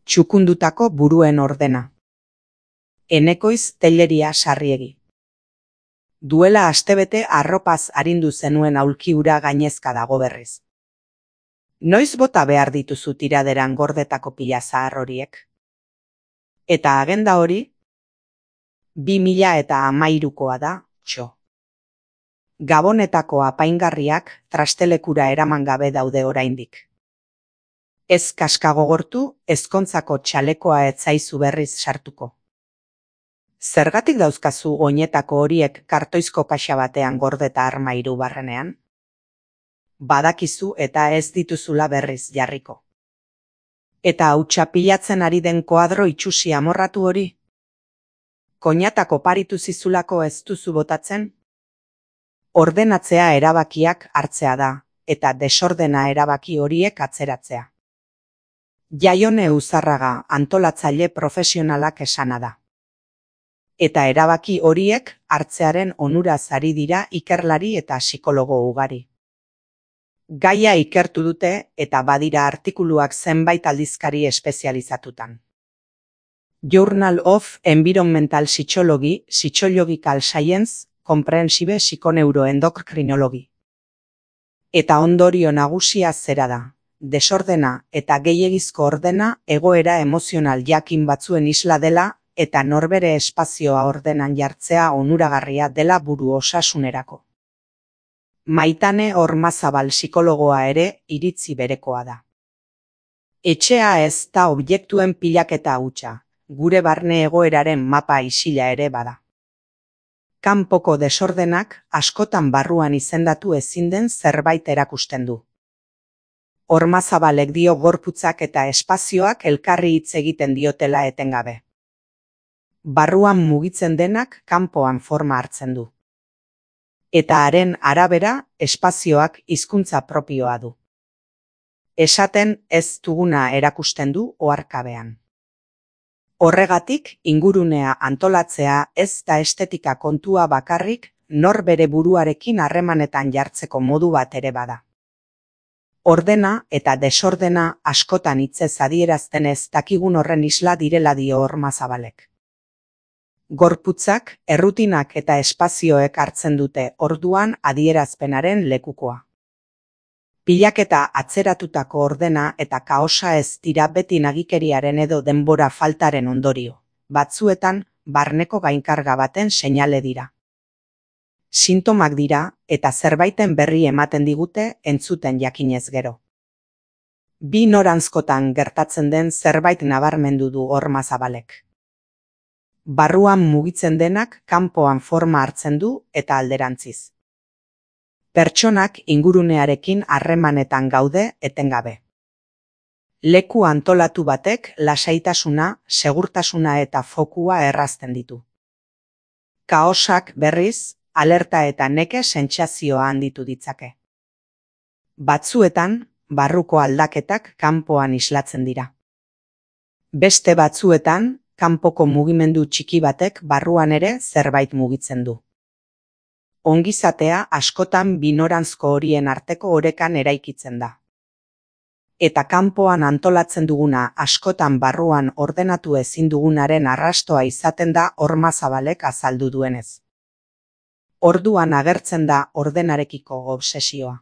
Txukundutako buruen ordena. Enekoiz Telleria Sarriegi. Duela astebete arropaz arindu zenuen aulki hura gainezka dago berriz. Noiz bota behar dituzu tiraderan gordetako pila zahar horiek? Eta agenda hori? 2013koa da, txo. Gabonetako apaingarriak trastelekura eraman gabe daude oraindik. Ez kaskagogortu, ezkontzako txalekoa ez zaizu berriz sartuko. Zergatik dauzkazu oinetako horiek kartoizko kaxa batean gordeta armairu barrenean? Badakizu eta ez dituzula berriz jarriko. Eta hautsa pilatzen ari den koadro itxusi amorratu hori? Koinatako paritu zizulako ez duzu botatzen? Ordenatzea erabakiak hartzea da, eta desordena erabaki horiek atzeratzea. Jaione Uzarraga antolatzaile profesionalak esana da. Eta erabaki horiek hartzearen onuraz ari dira ikerlari eta psikologo ugari. Gaia ikertu dute eta badira artikuluak zenbait aldizkari espezializatutan. Journal of Environmental Psychology, Psychological Science, Comprehensive Psychoneuroendocrinology. Eta ondorio nagusia zera da. Desordena eta gehiegizko ordena egoera emozional jakin batzuen isla dela eta norbere espazioa ordenan jartzea onuragarria dela buru osasunerako. Maitane Ormazabal psikologoa ere iritzi berekoa da. Etxea ez da objektuen pilaketa hutsa, gure barne egoeraren mapa isila ere bada. Kanpoko desordenak askotan barruan izendatu ezin den zerbait erakusten du. Ormazabalek dio gorputzak eta espazioak elkarri hitz egiten diotela etengabe. Barruan mugitzen denak kanpoan forma hartzen du. Eta haren arabera espazioak hizkuntza propioa du. Esaten ez duguna erakusten du oharkabean. Horregatik ingurunea antolatzea ez da estetika kontua bakarrik nor bere buruarekin harremanetan jartzeko modu bat ere bada. Ordena eta desordena askotan hitzez adierazten ez dakigun horren isla direla dio Ormazabalek. Gorputzak, errutinak eta espazioek hartzen dute orduan adierazpenaren lekukoa. Pilaketa atzeratutako ordena eta kaosa ez dira beti nagikeriaren edo denbora faltaren ondorio. Batzuetan, barneko gainkarga baten seinale dira. Sintomak dira eta zerbaiten berri ematen digute entzuten jakinez gero. Bi noranzkotan gertatzen den zerbait nabarmendu du Ormazabalek. Barruan mugitzen denak kanpoan forma hartzen du eta alderantziz. Pertsonak ingurunearekin harremanetan gaude etengabe. Leku antolatu batek lasaitasuna, segurtasuna eta fokua errazten ditu. Kaosak berriz, alerta eta neke sentsazioa handitu ditzake. Batzuetan, barruko aldaketak kanpoan islatzen dira. Beste batzuetan, kanpoko mugimendu txiki batek barruan ere zerbait mugitzen du. Ongizatea askotan binoranzko horien arteko orekan eraikitzen da. Eta kanpoan antolatzen duguna askotan barruan ordenatu ezin dugunaren arrastoa izaten da Ormazabalek azaldu duenez. Orduan agertzen da ordenarekiko obsesioa.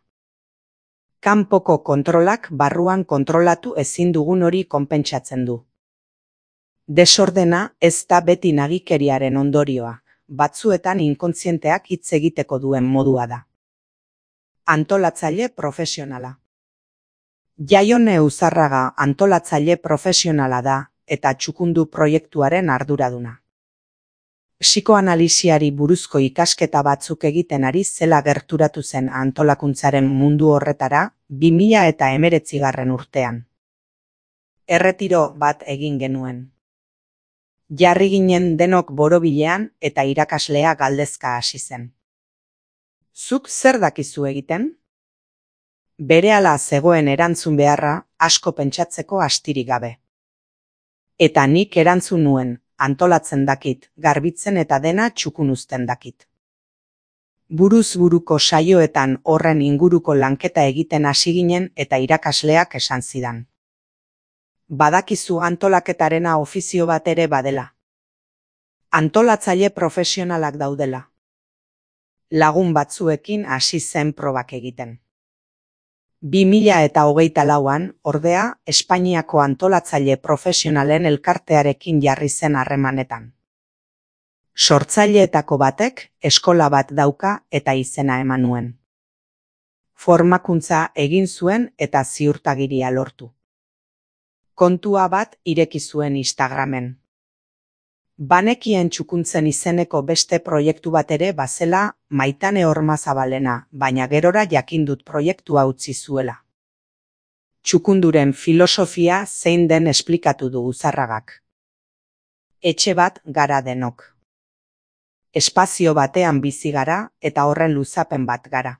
Kanpoko kontrolak barruan kontrolatu ezin dugun hori konpentsatzen du. Desordena ez da beti nagikeriaren ondorioa, batzuetan inkontzienteak hitz egiteko duen modua da. Antolatzaile profesionala. Jaione Uzarraga antolatzaile profesionala da eta txukundu proiektuaren arduraduna. Psikoanalisiari buruzko ikasketa batzuk egiten ari zela gerturatu zen antolakuntzaren mundu horretara 2019 urtean. Erretiro bat egin genuen. Jarri ginen denok borobilean eta irakaslea galdezka hasi zen. Zuk zer dakizu egiten? Berehala zegoen erantzun beharra asko pentsatzeko astirik gabe. Eta nik erantzun nuen, antolatzen dakit, garbitzen eta dena txukun uzten dakit. Buruz buruko saioetan horren inguruko lanketa egiten hasi ginen eta irakasleak esan zidan. Badakizu antolaketarena ofizio bat ere badela. Antolatzaile profesionalak daudela. Lagun batzuekin hasi zen probak egiten. 2024an, ordea, Espainiako antolatzaile profesionalen elkartearekin jarri zen harremanetan. Sortzaileetako batek eskola bat dauka eta izena eman nuen. Formakuntza egin zuen eta ziurtagiria lortu. Kontua bat ireki zuen Instagramen. Banekien txukuntzen izeneko beste proiektu bat ere bazela Maitane Ormazabalena, baina gerora jakindut proiektua utzi zuela. Txukunduren filosofia zein den esplikatu du Uzarragak. Etxe bat gara denok. Espazio batean bizi gara eta horren luzapen bat gara.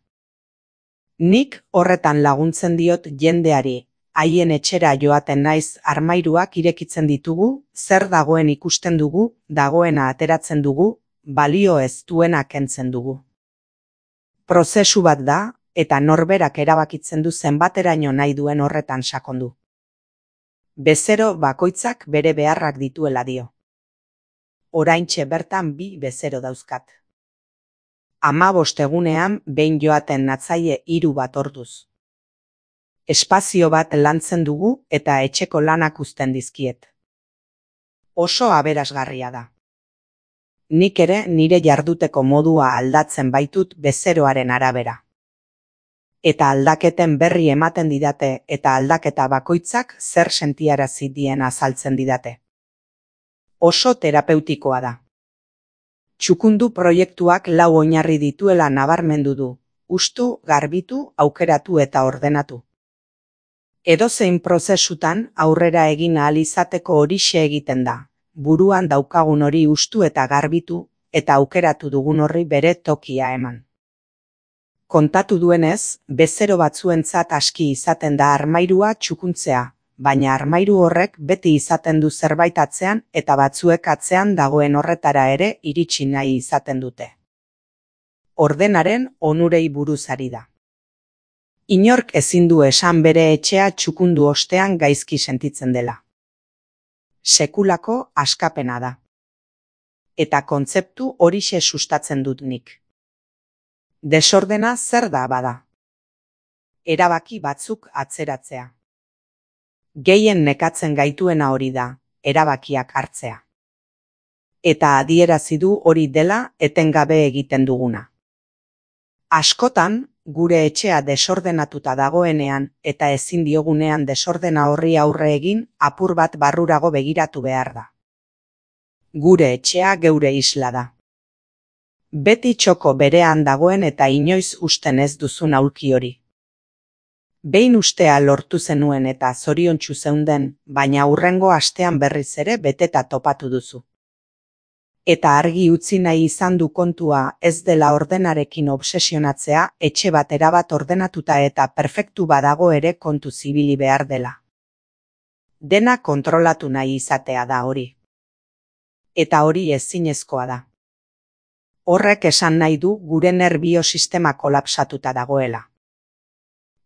Nik horretan laguntzen diot jendeari, haien etxera joaten naiz armairuak irekitzen ditugu, zer dagoen ikusten dugu, dagoena ateratzen dugu, balio ez duena kentzen dugu. Prozesu bat da, eta norberak erabakitzen du zenbateraino nahi duen horretan sakondu. Bezero bakoitzak bere beharrak dituela dio. Oraintxe bertan 2 bezero dauzkat. 15 egunean behin joaten natzaie 3 bat orduz. Espazio bat lantzen dugu eta etxeko lanak uzten dizkiet. Oso aberasgarria da. Nik ere nire jarduteko modua aldatzen baitut bezeroaren arabera. Eta aldaketen berri ematen didate eta aldaketa bakoitzak zer sentiarazi dien azaltzen didate. Oso terapeutikoa da. Txukundu proiektuak 4 oinarri dituela nabarmendu du, hustu, garbitu, aukeratu eta ordenatu. Edozein prozesutan aurrera egin ahal izateko horixe egiten da, buruan daukagun hori hustu eta garbitu, eta aukeratu dugun horri bere tokia eman. Kontatu duenez, bezero batzuentzat aski izaten da armairua txukuntzea, baina armairu horrek beti izaten du zerbait atzean eta batzuek atzean dagoen horretara ere iritsi nahi izaten dute. Ordenaren onurei buruz ari da. Inork ezin du esan bere etxea txukundu ostean gaizki sentitzen dela. Sekulako askapena da. Eta kontzeptu horixe sustatzen dut nik. Desordena zer da bada? Erabaki batzuk atzeratzea. Gehien nekatzen gaituena hori da, erabakiak hartzea. Eta adierazi du hori dela etengabe egiten duguna. Askotan, gure etxea desordenatuta dagoenean eta ezin diogunean desordena horri aurre egin apur bat barrurago begiratu behar da. Gure etxea geure isla da. Beti txoko berean dagoen eta inoiz usten ez duzun aulki hori. Behin ustea lortu zenuen eta zoriontsu zeunden, baina hurrengo astean berriz ere beteta topatu duzu. Eta argi utzi nahi izan du kontua ez dela ordenarekin obsesionatzea, etxe bat erabat ordenatuta eta perfektu badago ere kontu zibili behar dela. Dena kontrolatu nahi izatea da hori. Eta hori ezinezkoa da. Horrek esan nahi du gure nerbiosistema kolapsatuta dagoela.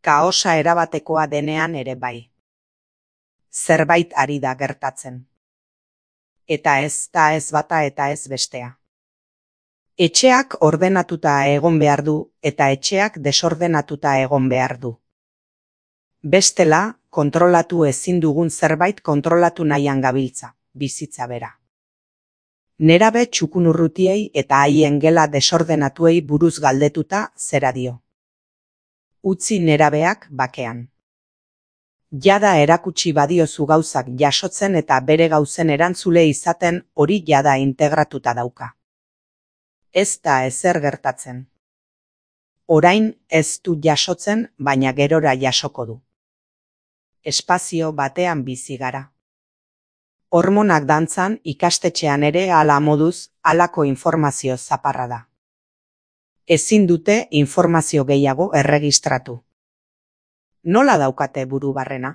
Kaosa erabatekoa denean ere bai. Zerbait ari da gertatzen. Eta ez da ez bata eta ez bestea. Etxeak ordenatuta egon behar du eta etxeak desordenatuta egon behar du. Bestela, kontrolatu ezin dugun zerbait kontrolatu nahian gabiltza, bizitza bera. Nerabe txukunurrutiei eta haien gela desordenatuei buruz galdetuta zera dio. Utzi nerabeak bakean. Jada erakutsi badiozu gauzak jasotzen eta bere gauzen erantzule izaten hori jada integratuta dauka. Ez da ezer gertatzen. Orain ez du jasotzen, baina gerora jasoko du. Espazio batean bizi gara. Hormonak dantzan ikastetxean ere hala moduz halako informazio zaparra da. Ezin dute informazio gehiago erregistratu. Nola daukate buru barrena?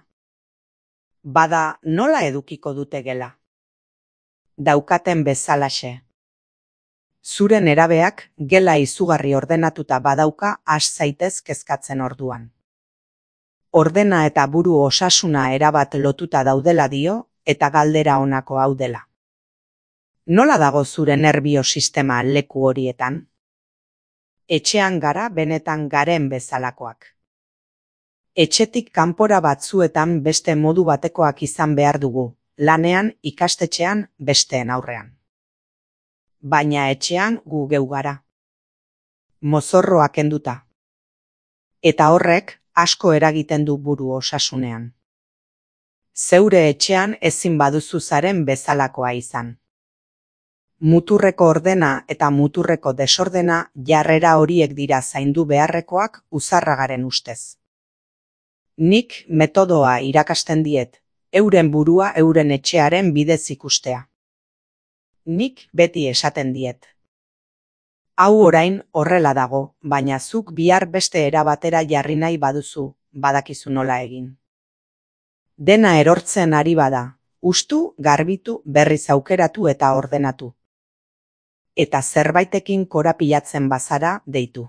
Bada, nola edukiko dute gela? Daukaten bezalaxe. Zure nerabeak gela izugarri ordenatuta badauka has zaitez kezkatzen orduan. Ordena eta buru osasuna erabat lotuta daudela dio, eta galdera honako hau dela. Nola dago zure nerbio sistema leku horietan? Etxean gara benetan garen bezalakoak. Etxetik kanpora batzuetan beste modu batekoak izan behar dugu, lanean, ikastetxean, besteen aurrean. Baina etxean gu geu gara. Mozorroa kenduta. Eta horrek asko eragiten du buru osasunean. Zeure etxean ezin baduzu zaren bezalakoa izan. Muturreko ordena eta muturreko desordena jarrera horiek dira zaindu beharrekoak uzarragaren ustez. Nik metodoa irakasten diet, euren burua euren etxearen bidez ikustea. Nik beti esaten diet. Hau orain horrela dago, baina zuk bihar beste era batera jarri nahi baduzu, badakizu nola egin. Dena erortzen ari bada, hustu, garbitu, berriz aukeratu eta ordenatu. Eta zerbaitekin korapilatzen bazara, deitu.